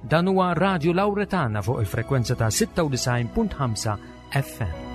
Dan huwa Radio Lauretana fuq il-frekwenza ta' 96.5 FM.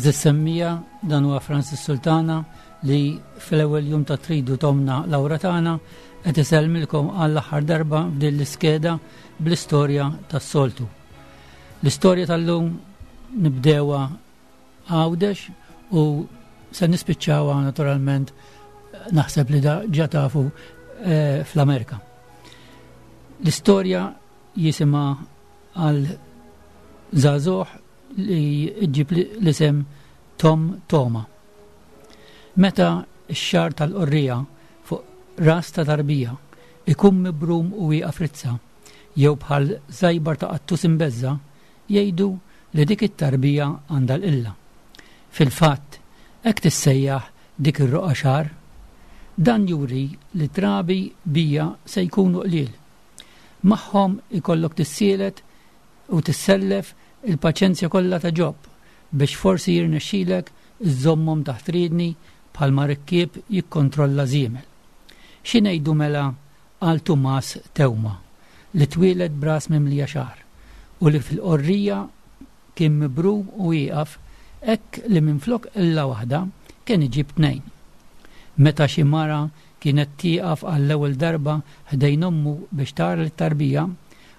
Eżis semmija dan huwa Francis Sultana li fl-ewwel jum ta' tridu tomna Laura tagħna qed isellmilkom għall-aħħar darba f'din l-iskeda bl-istorja tas-soltu. L-istorja tal-lum nibdewa Għawdex u se nispiċċawha naturalment naħseb li da ġa tafu eh, fl-Amerika. L-istorja jisimha għal żagħżugħ li ġib l-isem Tom Toma. Meta x-xagħar tal-qorrija fuq ras ta' tarbija ikun mibrum u wieqaf rizza, jew bħal żajbar ta' qattus imbeżża', jgħidu li dik it-tarbija għandha l-qilla. Fil-fatt, hekk tissejjaħ dik ir-roqgħa xagħar. Dan juri li trabi bija se jkunu qliel. Magħhom ikollok tissielet u tissellef il-paċenzja kollha ta' Ġob biex forsi jirnexxilek iżżommhom taħt riedni bħalma rikkieb jikkontrolla żiemel. Xi ngħidu mela għal Tumas Teuma li twieled b'ras mimlija xagħar u li fil-qorrija kien mibrum u wieqaf hekk li minflok qilla waħda kien iġib tnejn. Meta xi mara kienet tieqaf għall-ewwel darba ħdejn ommu biex tara lit-tarbija,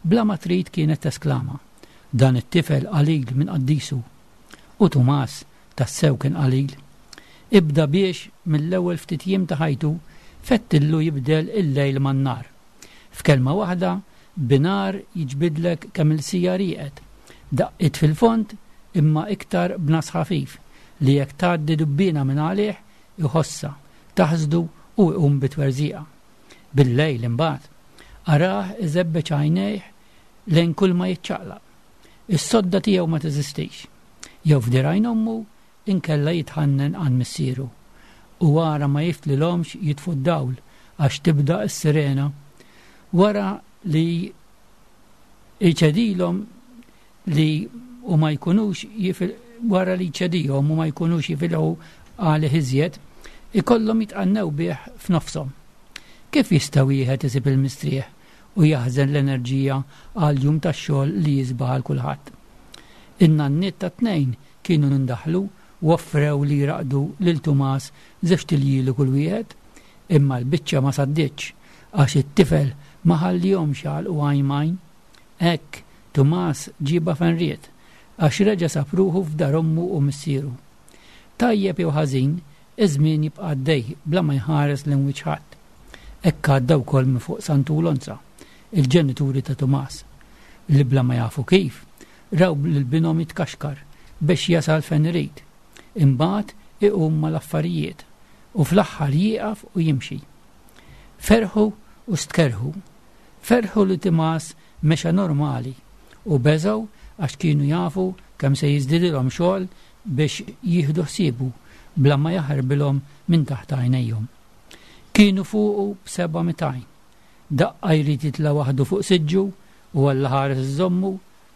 bla ma trid kienet tesklama, Dan it-tifel qalil minn qaddisu! U Tumas tassew kien qalil. Ibda biex, mill-ewwel ftit jiem ta' ħajtu, fettillu jibdel il-lejl man-nhar. F'kelma waħda, binhar jiġbidlek kemm-il siegħa rieqed. Daqqiet fil-fond, imma iktar b'ngħas ħafif, li jekk tgħaddi dubbiena minn għalih, iħossha, taħsdu u jqum bi twerżiqa. Bil-lejl, imbagħad, arah iżebbeġ għajnejh lejn kulma jiċċaqlaq. Is-sodda tiegħu ma teżistix. Jew f'dirgħajn ommu, inkella jitħannen għand missieru. U ara ma jiftlilhomx jitfu d-dawl għax tibda s-sirena. Wara li jċedilhom li u ma jkunux wara li jċedihom u ma jkunux jifilħu għalih iżjed, ikollhom jitqannew bih f'nofshom. Kif jista' wieħed isib il-mistrieħ u jaħżen l-enerġija għal jum ta' xogħol li jisbaħ għal kulħadd? In-nanniet tat-tnejn kienu ndaħlu u offrew li jraqqdu lil Tumas żewġt iljieli kull wieħed, imma l-biċċa ma sadditx għax it-tifel ma ħallihomx jagħlqu għajn m'għajn. Hekk, Tumas ġiebha fejn ried, għax reġa' sab ruħu f'dar ommu u missieru. Tajjeb jew ħażin, iż-żmien jibqa' għaddej bla ma jħares lejn wiċċ ħadd. Hekk għadda wkoll minn fuq Santu u Lonza, il-ġenituri ta' Tumas, li bla ma jafu kif, raw lil binhom jitkaxkar biex jasal fejn irid, imbagħad iqum mal-affarijiet u fl-aħħar jieqaf u jimxi. Ferħu u stkerrhu. Ferħu li Tumas mexa normali u beżgħu għax kienu jafu kemm se jiżdidilhom xogħol biex jieħdu ħsiebu bla ma jaħarbilhom minn taħt għajnejhom. Kienu fuqu b'seba' mitgħajn. Daqqa jrid jitla' waħdu fuq siġġu u Alla ħares iżommu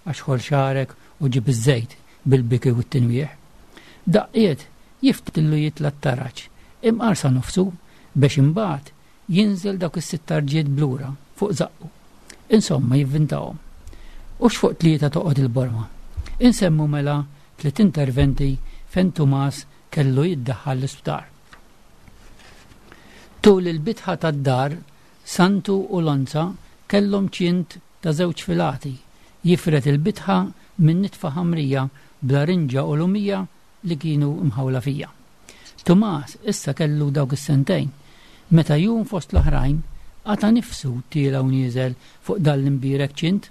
għax ħoll xagħrek u ġib iż-żejt bil-biki u t-tinwieħ. Daqqiet jiftillu jitla' t-taraġ imqar sa nofsu biex imbagħad jinżel dawk is-sitt tarġiet b'lura fuq żaqqu. Insomma jivvintahom. U x'fuq tlieta toqgħod il-borma. Insemmu mela tliet interventi fejn Tumas kellu jiddaħħal l-isptar. Tul il-bitħa tad-dar Santu u Lonza kellhom ċint ta' żewġ filati jifred il-bitħa minn nitfa ħamrija bl-arinġa u lumija li kienu mħawla fija. Tumas issa kellu dawk is-sentejn, meta jum fost l-oħrajn qata' nifsu tiela' u nieżel fuq dan l-imbierek ċint.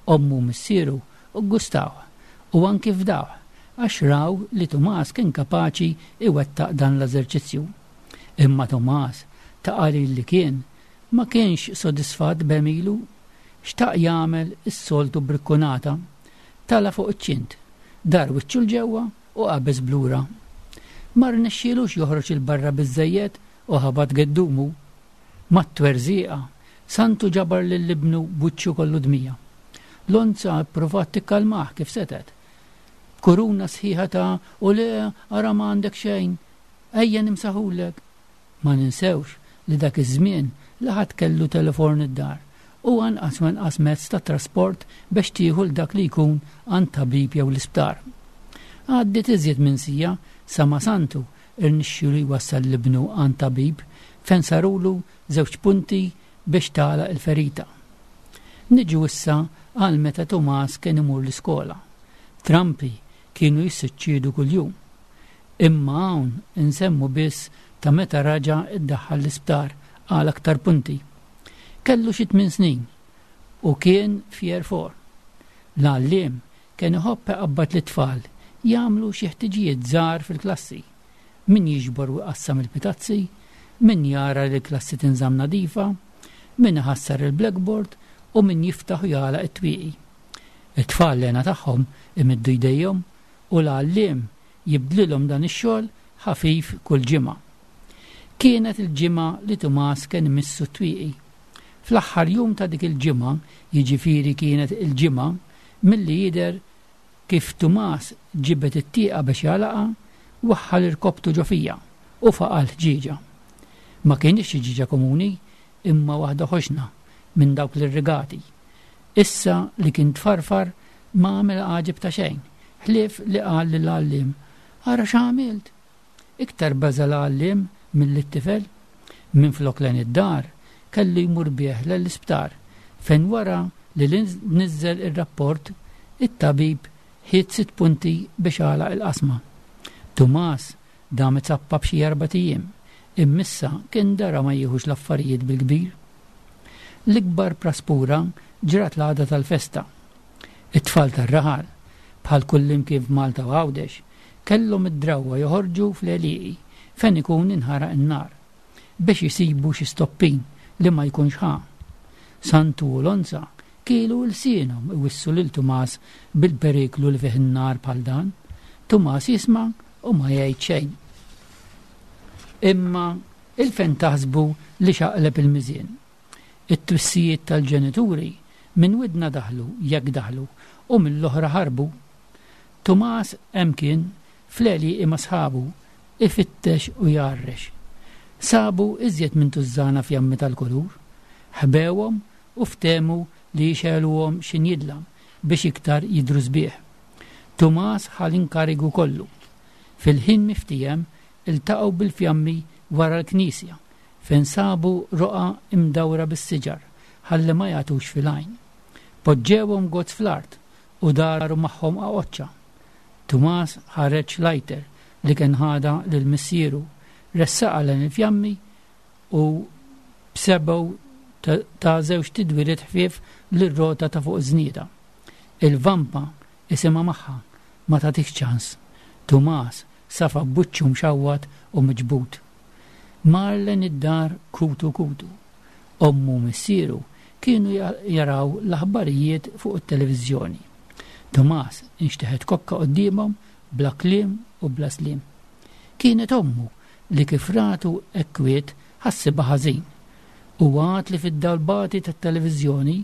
Ommu u missieru ggustawh u anki fdawh. għax raw li Tumas kien kapaċi iwettaq dan l-eżerċizzju. Imma Tumas, ta' qalil li kien, ma kienx sodisfatt b'għemilu. Xtaq jagħmel is-soltu brikkunata. Tala' fuq iċ-ċint, dar wiċċu 'l ġewwa u qabeż b'lura. Ma rnexxielux joħroġ 'il barra biżżejjed u ħabat geddumu. Mat-twerżieqa, Santu ġabar lil ibnu b'wiċċu kollu dmija. Lonza ppruvat tikkalmah kif setgħet. B'kuruna sħiħa ta' u le ara ma għandek xejn, ejja nimsaħulek. Ma ninsewx li dak iż-żmien la ħadd kellu teleforn id-dar u anqas u anqas mezz ta' trasport bex tieħu 'l dak li jkun għand tabib jew l-isptar. Għaddiet iżjed minn siegħa sa ma Santu rnexxielu jwassal 'l ibnu għand tabib fejn sarulu żewġ punti biex tagħlaq il-ferita. Niġu issa għal meta Tumas kien imur l-iskola. Trampi kienu jissuċċiedu kuljum. Imma hawn insemmu biss ta' meta raġa' ddaħħal l-isptar għal aktar punti. Kellu xi tmien snin u kien f'Year Four. L-għalliem kien iħobb iqabbad lit-tfal jagħmlu xi ħtiġijiet żgħar fil-klassi. Min jiġbor u jqassam il-pitazzi, min jara li l-klassi tinżamm nadifa, min iħassar il-blackboard u min jiftaħ u jagħlaq it-twieqi. It-tfal l-hena tagħhom imiddu jdejhom u l-għalliem jibdlilhom dan ix-xogħol ħafif kull ġimgħa. Kienet il-ġimgħa li Tumas kien imissu t-twieqi. Fl-aħħar jum ta' dik il-ġimgħa, jiġifieri kienet il-Ġimgħa, milli jidher kif Tumas ġibed it-tieqa biex jagħlaqha, waħħal irkopptu ġo fija u faqa' l-ħġieġa. Ma kinitx xi ħġieġa komuni, imma waħda ħoxna, minn dawk l-irrigati. Issa li kien tfarfar ma għamel għaġeb ta' xejn, ħlief li qal lill-għalliem, Ara x'għamilt! Iktar beża' l-għalliem milli t-tifel. Minflok lejn id-dar, kellu jmur bih lejn l-isptar, fejn wara li niżżel ir-rapport, it-tabib ħiet sitt punti biex għalaq il-qasma. Tumas dam izappap xi erbat ijiem, imma issa kien dara ma jieħux l-affarijiet bil-kbir. L-ikbar praspura ġrat l-għada tal-festa. It-tfal tar-raħal, bħal kullimkien f'Malta u Għawdex, kellhom id-drawwa joħorġu fl-għelieqi fejn ikun inħaraq in-nar, biex isibu xi stoppin li ma jkunx ħa. Santu u Lonza kielu lsienhom iwissu lil Tumas bil-periklu li fih in-nar bħal dan. Tumas jisma' u ma jgħid xejn. Imma il-fejn taħsbu li xaqleb il-miżien? It-twissijiet tal-ġenituri minn widna daħlu, jekk daħlu, u mill-oħra ħarbu. Tumas hemm kien, fl-għelieqi ma' sħabu, ifittex u jgħarrex. Sabu iżjed minn tużżana fjammi tal-kulur. Ħbewhom u ftehmu li jixegħluhom x'injidlam biex iktar jidhru sbieħ. Tumas ħa l-inkarigu kollu. Fil-ħin miftiehem iltaqgħu bil-fjammi wara l-knisja fejn sabu roqgħa imdawra bis-siġar ħalli ma jagħtux fil-għajn. Poġġewhom gozz fl-art u daru magħhom qaqoċċa. Tumas ħareġ lighter li kien ħadha lil missieru, ressaqha lejn il-fjammi u b'sebgħu ta żewġ tidwiriet ħfief lir-rota ta' fuq iż-żnieda. Il-vampa isimha magħha, ma tagħtikx ċans. Tumas safa b'wiċċu mxawwat u miġbud. Mar lejn id-dar kutu kutu. Ommu u missieru kienu jaraw l-aħbarijiet fuq it-televiżjoni. Tumas inxteħet kokka quddiemhom bla kliem u bla sliem. Kienet ommu li kif ratu hekk kwiet ħassibha ħażin. U għad li fid-dawl bati tat-televiżjoni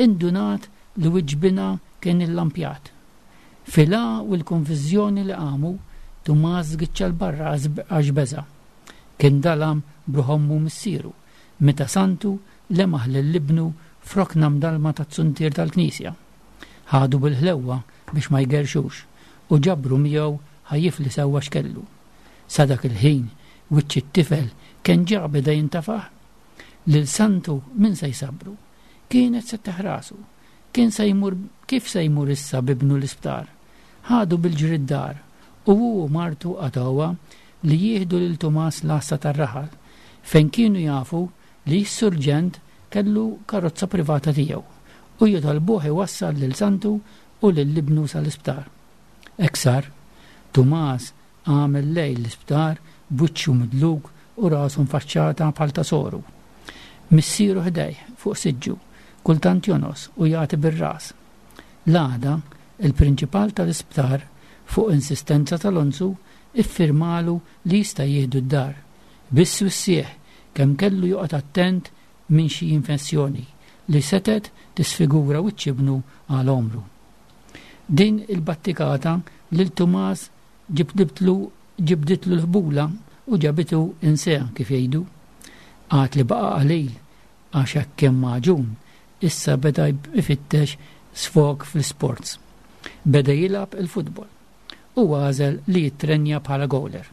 indunat li wiċċ binha kien illampjat. Fil-għa u l-konfiżjoni li qamu, Tumas żgiċċa 'l barra għax beża'. Kien dalam b'ruħ ommu u missieru meta Santu lemaħ lil ibnu f'rokna mdallma taz-zuntier tal-knisja. Ħadu bil-ħlewwa biex ma jgerrxux u ġabru miegħu ħa jifli sewwa x'kellu. Sa dak il-ħin wiċċ it-tifel kien ġa beda jintafaħ. Lil Santu min se jsabbru? Kienet se tteħħ rasu. Kien se jmur kif se jmur issa b'ibnu l-isptar? Ħadu bil-ġri d-dar u hu u martu qatgħuha li jieħdu lil Tumas l-għassa tar-raħal, fejn kienu jafu li s-surġent kellu karozza privata tiegħu, u jitolbuh iwassal lil Santu u lil ibnu sal-isptar. Hekk sar. Tumas għamel lejl l-isptar b'wiċċu midluk u rasu mfaċċata bħal ta' soru. Missieru ħdejh, fuq siġġu, kultant jongħos u jagħti bir-ras. L-għada, il-prinċipal tal-isptar, fuq insistenza ta' Lonzu, iffirmalu li jista' jieħdu d-dar. Biss wissieh kemm kellu joqgħod attent minn xi infessjoni li setgħet tisfigura wiċċ ibnu għal għomru. Din il-battikata lil Tumas ġibditlu ġibditlu l-ħbula u ġabitu inseha kif jgħidu. Għad li baqa' qalil għax hekk kemm magħġun issa beda jfittex sfog fl-isports. Beda jilgħab il-futbol u għażel li jittrenja bħala gowler.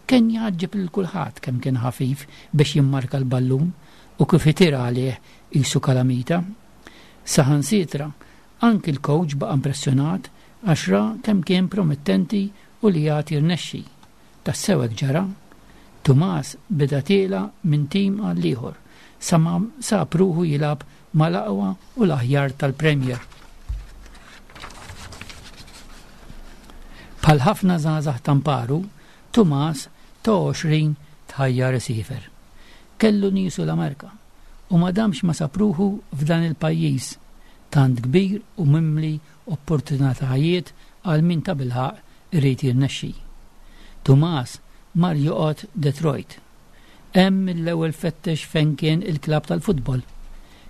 Kien jgħaġġeb lil kulħadd kemm kien ħafif biex jimmarka l-ballun u kif itir għalih qisu kalamita. Saħansitra, anki l-kowċ baqa' impressjonat għax ra kemm kien promettenti u li għad jirnexxi. Tassew hekk ġara. Tumas beda tiela' minn tim għal ieħor sa ma sab ruħu jilgħab mal-aqwa u l-aħjar tal-Premier. Bħal ħafna żgħażagħ ta' mparu, Tumas ta' 20 tħajjar isiefer. Kellu niesu l-Amerka u ma damx ma sab ruħu f'dan il-pajjiż tant kbir u mimli opportunitajiet għal min tabilħaqq irid jirnexxi. Tumas mar joqgħod Detroit. Hemm mill-ewwel fettex fejn kien il-klabb tal-futbol.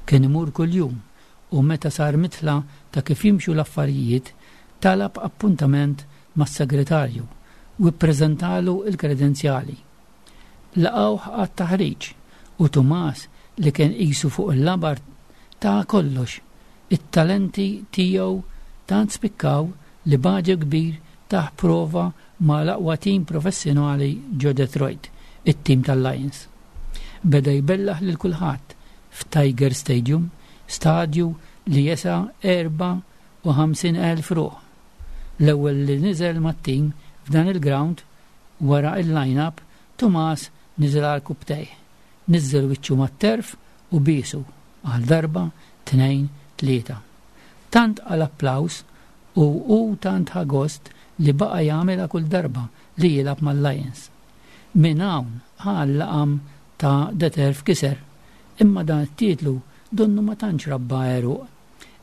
Kien imur kuljum u meta sar midħla ta' kif jimxu l-affarijiet, talab appuntament mas-segretarju u ppreżentalu l-kredenzjali. Laqgħuh għat-taħriġ u Tumas li kien qisu fuq il-labar ta kollox. It-talenti tiegħu tant spikkaw li b'għaġeb kbir tah prova ma' l-aqwa tim professjonali ġo Detroit, it-tim tal-Lions. Beda jbellaħ lil kulħadd f'Tiger Stadium, stadju li jesa' 54,000 ruħ. L-ewwel li niżel mat-tim f'dan il-grawnd wara l-line-up, Tumas niżel għarkupptejh, niżżel wiċċu mat-terf u biesu għal darba, tnejn, tlieta. Tant qal applaws u hu tant ħa gost li baqa' jagħmilha kull darba li jilgħab mal-Lions. Minn hawn ħa l-laqam ta' The Turf Kisser, imma dan it-titlu donnu ma tantx rabba għeruq.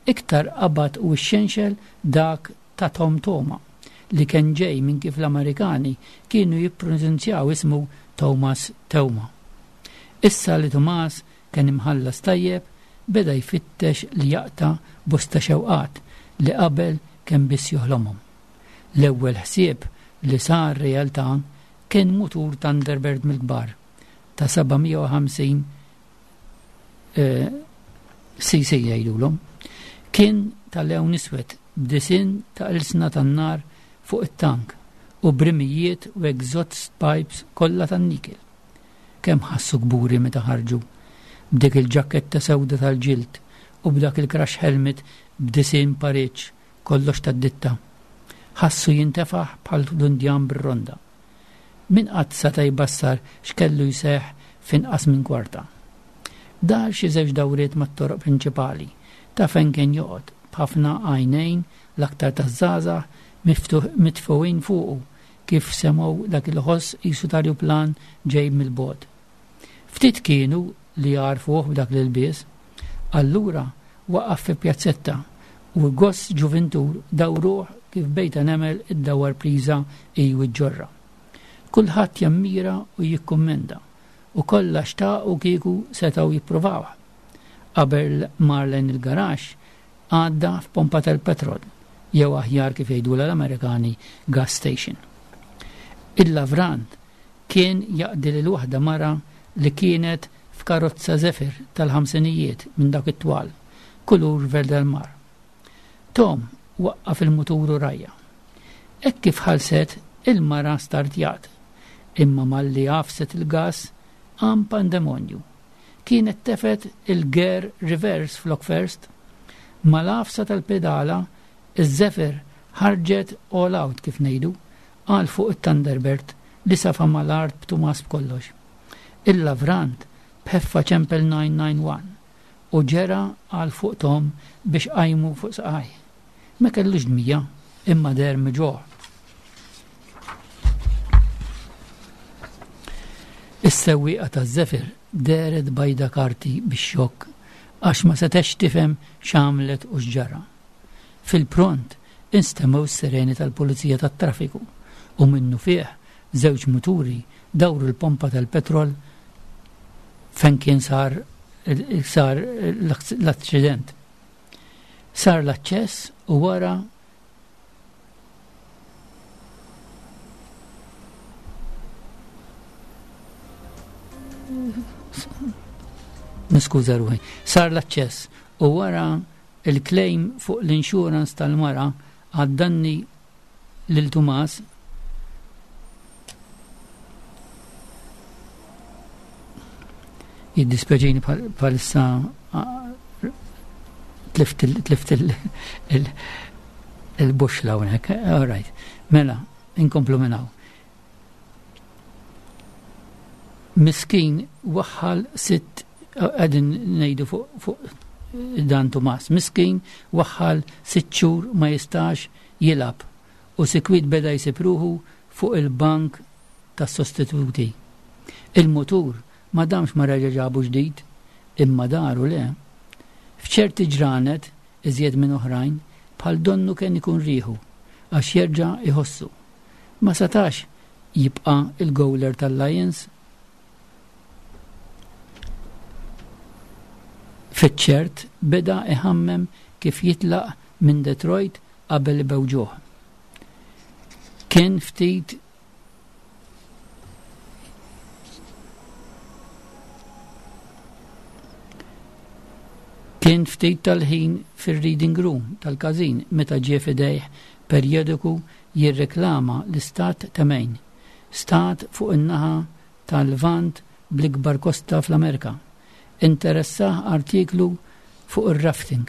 Iktar qabad u xxenxel dak ta' Tom Toma, li kien ġej minn kif l-Amerikani kienu jippronunzjaw ismu Thomas Teuma. Issa li Tumas kien imħallas tajjeb, beda jfittex li jaqta' bosta xewqat li qabel kien biss joħlomhom. L-ewwel ħsieb li sar realtà kien mutur Thunderbird mill-kbar ta' 750 cc jgħidulhom. Kien ta' lewn iswed b'disinn ta' ilsna tan-nar fuq it-tank u b'rimijiet u exhaust pipes kollha tan-nikel. Kemm ħassu kburi meta ħarġu, b'dik il-ġakketta sewda tal-ġild u b'dak il-crash helmet b'disinn pariġġ kollox tad-ditta. Ħassu jintefaħ bħal dundjan bir-ronda. Min qatt seta' jbassar x'kellu jseħħ f'inqas minn kwarta? Dar xi żewġ dawriet mat-toroq prinċipali ta' fejn kien joqgħod, b'ħafna għajnejn, l-aktar taż-żgħażagħ, mitfugħin fuqu kif semgħu dak il-ħoss qisu t'arjuplan ġej mill-bogħod. Ftit kienu li għarfuh b'dak l-ilbies. Allura waqaf fi pjazzetta u goss ġuvintur dawruh kif bejta nemel iddawwar priża hi u ġġorrha. Kulħadd jammira u jikkummenta u kollha xtaqu kieku setgħu jippruvawh. Qabel mar lejn il-garaxx għadda f'pompa tal-petrol, jew aħjar kif jgħidulha l-Amerikani gas station. Il-lavrant kien jaqdi lil waħda mara li kienet f'karozza Zephyr tal-ħamsinijiet minn dawk it-twal, kulur verd-al-mar. Tom waqqaf il-mutur u rajha. Hekk kif ħallset, il-mara startjat. Imma malli għafset il-gass, qam pandemonju. Kienet tefgħet il-gear reverse flok first. Mal-għafsa tal-pedala, iż-Zephyr ħarġet all out kif ngħidu, għal fuq it-Thunderbird li safa mal-art b'Tumas b'kollox. Il-lavrant b'ħeffa ċempel 991 u ġera għal fuq Tom biex qajmu fuq saqajh. Ma kellux dmija, imma deher miġugħ. Is-sewwieqa taż-Zephyr dehret bajda karti bix-xokk għax ma setgħetx tifhem x'għamlet u x'ġara. Fil-pront instemgħu s-sireni tal-pulizija tat-traffiku u minnufih żewġ muturi dawru l-pompa tal-petrol fejn kien sar sar l-aċċident. Sar l-aċċess u wara Niskuża ruħi. Sar l-aċċess u wara il-claim fuq l-insurance tal-mara għad-danni lil Tumas jiddispjaċini bħalissa tlift il-buxla hawnhekk. All right. Mela, inkomplu minn hawn. Miskin waħħal sitt qegħdin ngħidu fuq dan Tumas. Miskin waħħal sitt xhur ma jistax jilgħab u sikwit beda jsib ruħu fuq il-bank tas-sostituti. Il-mutur ma damx ma reġa' ġabu ġdid, imma daru le. F'ċerti ġranet, iżjed minn oħrajn, bħal donnu kien ikun riħu, għax jerġa' jħossu. Ma setax jibqa' il-gowler tal-Lions. Fiċ-ċert beda iħammem kif jitlaq minn Detroit qabel ibewġuh. Kien ftit Kien ftit tal-ħin fir-reading room tal-każin meta ġie f'idejh perjodiku jirreklama l-istat ta' Maine, stat fuq in-naħa tal-Lvant bl-ikbar kosta fl-Amerka. Interessah artiklu fuq ir-rafting.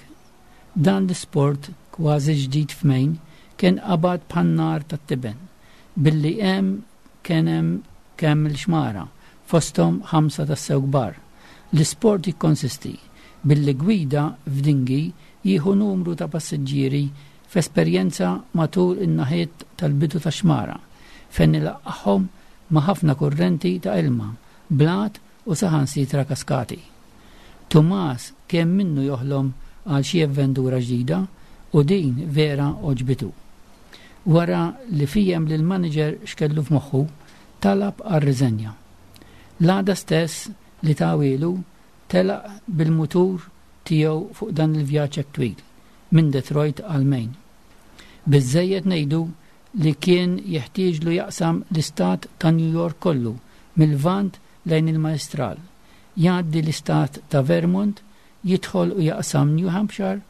Dan l-isport kważi ġdid f'Maine kien qabad bħan-nar tat-tiben, billi hemm kien hemm kemm-il xmara, fosthom ħamsa tassew kbar. L-isport jikkonsisti billi gwida f'dinghy jieħu numru ta' passiġġieri f'esperjenza matul in-naħiet tal-bidu tax-xmara, fejn ilaqqagħhom ma' ħafna kurrenti ta' ilma, blat u saħansitra kaskati. Tumas kemm minnu joħlom għal xi avventura ġdida u din vera għoġbitu. Wara li fiehem lill-maniġer x'kellu f'moħħu, talab għar-riżenja. L-għada stess li tawielu, telaq bil-mutur tiegħu fuq dan il-vjaġġ hekk twil, minn Detroit għal Maine. Biżżejjed ngħidu li kien jeħtieġlu jaqsam l-istat ta' New York kollu mil-Lvant lejn il-Majstral, jgħaddi l-istat ta' Vermont, jidħol u jaqsam New Hampshire,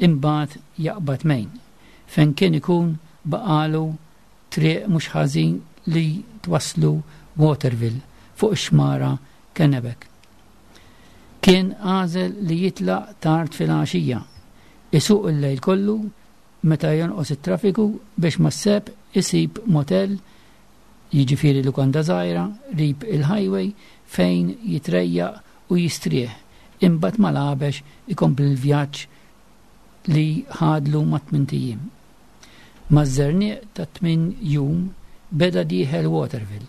imbagħad jaqbad Maine, fejn kien ikun baqagħlu triq mhux ħażin li twasslu Waterville fuq ix-xmara Kennebec. Kien għażel li jitlaq tard filgħaxija, isuq il-lejl kollu meta jonqos it-traffiku biex mas-sebħ isib motel, jiġifieri lukanda żgħira, qrib il-highway fejn jitrejjaq u jistrieħ, imbagħad mal-għabex ikompli l-vjaġġ li ħadlu mat-tmint ijiem. Maż-żerniq tat-tmien jum beda dieħel Waterville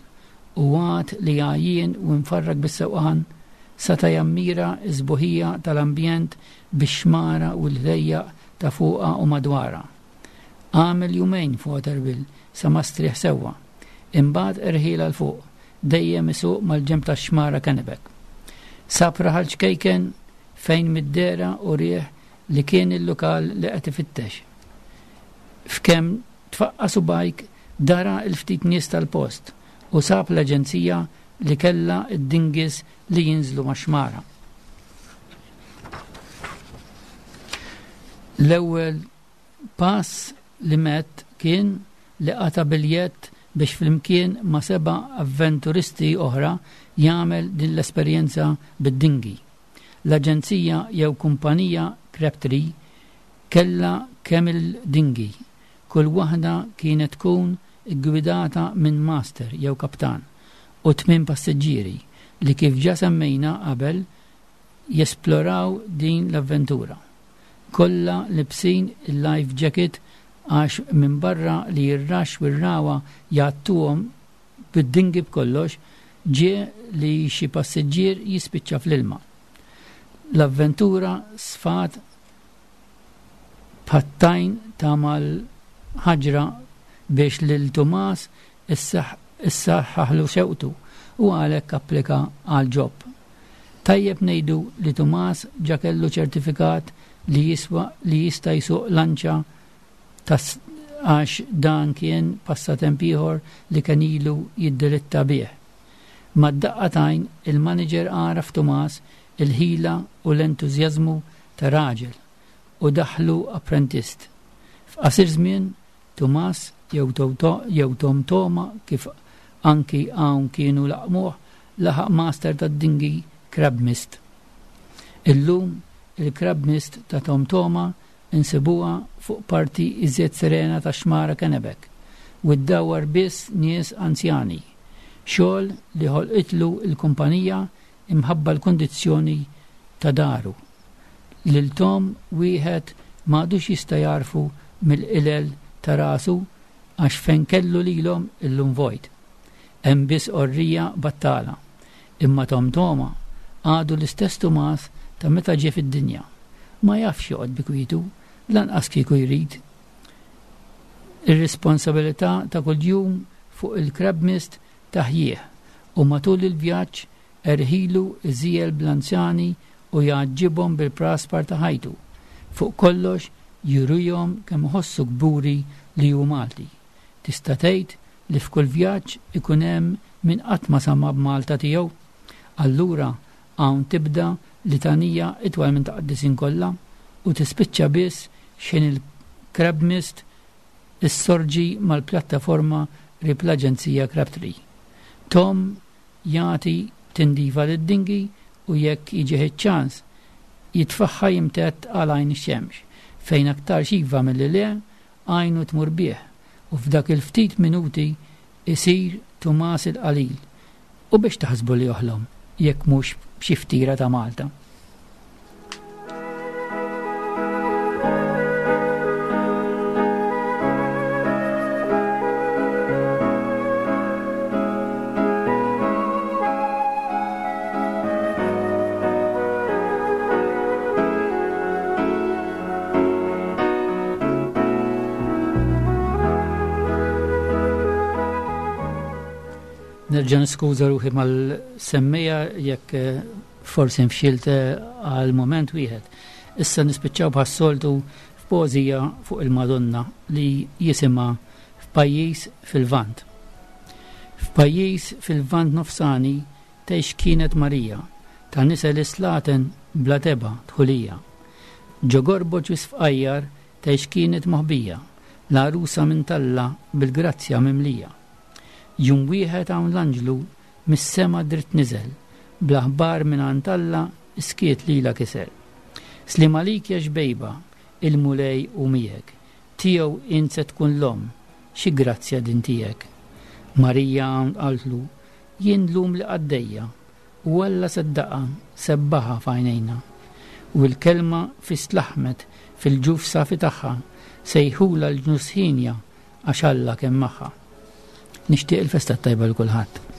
u għad li għajjien u mfarrak bis-sewqan, seta' jammira s-sbuħija tal-ambjent bix-xmara u l-ħlejjaq ta' fuqha u madwarha. Għamel jumejn f'Waterville sa ma strieħ sewwa. Imbagħad irħielha 'l fuq, dejjem isuq mal-ġenb tax-xmara Kennebec. Sab raħal ċkejken fejn mid-dehra urieh li kien il-lokal li qed ifittex. F'kemm tfaqqa' subgħajk dara l-ftit nies tal-post u sab l-aġenzija li kellha d-dinghies li jinżlu max-xmara. L-ewwel pass li medd kien li qata' biljett biex flimkien ma' seba' avventuristi oħra jagħmel din l-esperjenza bid-dinghy. L-aġenzija jew kumpanija Crabtree kellha kemm-il dinghy, kull waħda kienet tkun iggwidata minn master jew kaptan u tmien passiġġieri li kif ġa semmejna qabel jesploraw din l-avventura. Kollha libsin il-life jacket għax minbarra li r-raxx u r-ragħwa jgħattuhom bid-dinghy b'kollox, Ġie li xi passiġġier jispiċċa fl-ilma. L-avventura sfat bħat-tajn ta' mal-ħaġra biex lil Tumas issaħħaħlu xewqtu u għalhekk applika għall-job. Tajjeb ngħidu li Tumas ġa kellu ċertifikat li jiswa li jista' jsuq lanċa ta' għax dan kien passatemp ieħor li kien ilu jiddilitta bih. Mad-daqqa t'għajn, il-maniġer għaraf f'Tumas il-ħila u l-entużjażmu ta' raġel u daħħlu apprentist. F'qasir żmien, Tumas jew jew Tom Toma kif anki hawn kienu laqqmuh, laħaq master tad-dinghy Crab Mist. Illum, il-Crab Mist ta' Tom Toma Insibuha fuq parti iżjed serena tax-xmara Kennebec u ddawwar biss nies anzjani. Xogħol li ħolqitlu l-kumpanija imħabba l-kundizzjoni ta' daru. Lil Tom wieħed m'għadux jista' jagħrfu mill-qilel ta' rasu għax fejn kellu lilhom illum vojt. Hemm biss qorrija battala. Imma Tom Toma għadu l-istess Tumas ta' meta ġie fid-dinja. Ma jafx joqgħod bi kwietu, lanqas kieku jrid. Ir-responsabilità ta' kuljum fuq il-Crabmist taħjih u matul il-vjaġġ erħilu iżiegħel bl-anzjani u jgħaġġibhom bil-praspar ta' ħajtu. Fuq kollox jurihom kemm iħossu kburi li hu Malti. Tista' tgħid li f'kull vjaġġ ikun hemm min qatt ma sama' b'Malta tiegħu. Allura hawn tibda litanija itwal minn ta' qaddisin kollha u tispiċċa biss x'ħin il-Crabmist issorġi mal-pjattaforma qrib l-aġenzija Crabtree. Tom jagħti tindifa lid-dinghy u jekk jiġih iċ-ċans jitfagħha jimtedd għal għajn ix-xemx, fejn aktarx iva milli le għajnu tmur bih u f'dak il-ftit minuti isir Tumas il-Qalil. U biex taħsbu li joħlom jekk mhux b'xi ftira ta' Malta? Nerġa' niskuża ruħi mal-semmija jekk eh, forsi nfxilt eh, għal moment wieħed. Issa nispiċċaw bħas-soltu f'poeżija fuq il-Madonna li jisimha F'pajjiż fil-Lvant. F'pajjiż fil-Lvant nofsani Tgħix kienet Marija, ta' nisel is-slaten bla tebgħa dħulija. Ġo gorboġ wisq fqajjar tgħix kienet moħbija, l-għarusa minn t'Alla bil-grazzja mimlija. Jum wieħed hawn l-anġlu mis-sema dritt niżel, bl-aħbar mingħand Alla s-skiet lilha kiser. Sliem għalik ja xbejba, il-Mulej hu miegħek, tiegħu int se tkun l-omm, xi grazzja din tiegħek. Marija hawn qaltlu, Jien llum li qaddejja, u Alla seddaqha, sebbaħha f'għajnejna. U l-Kelma fis tlaħħmet fil-ġuf safi tagħha, sejħulha l-ġnus hienja għax Alla kien magħha. Nixtieq il-festa t-tajba lil kulħadd.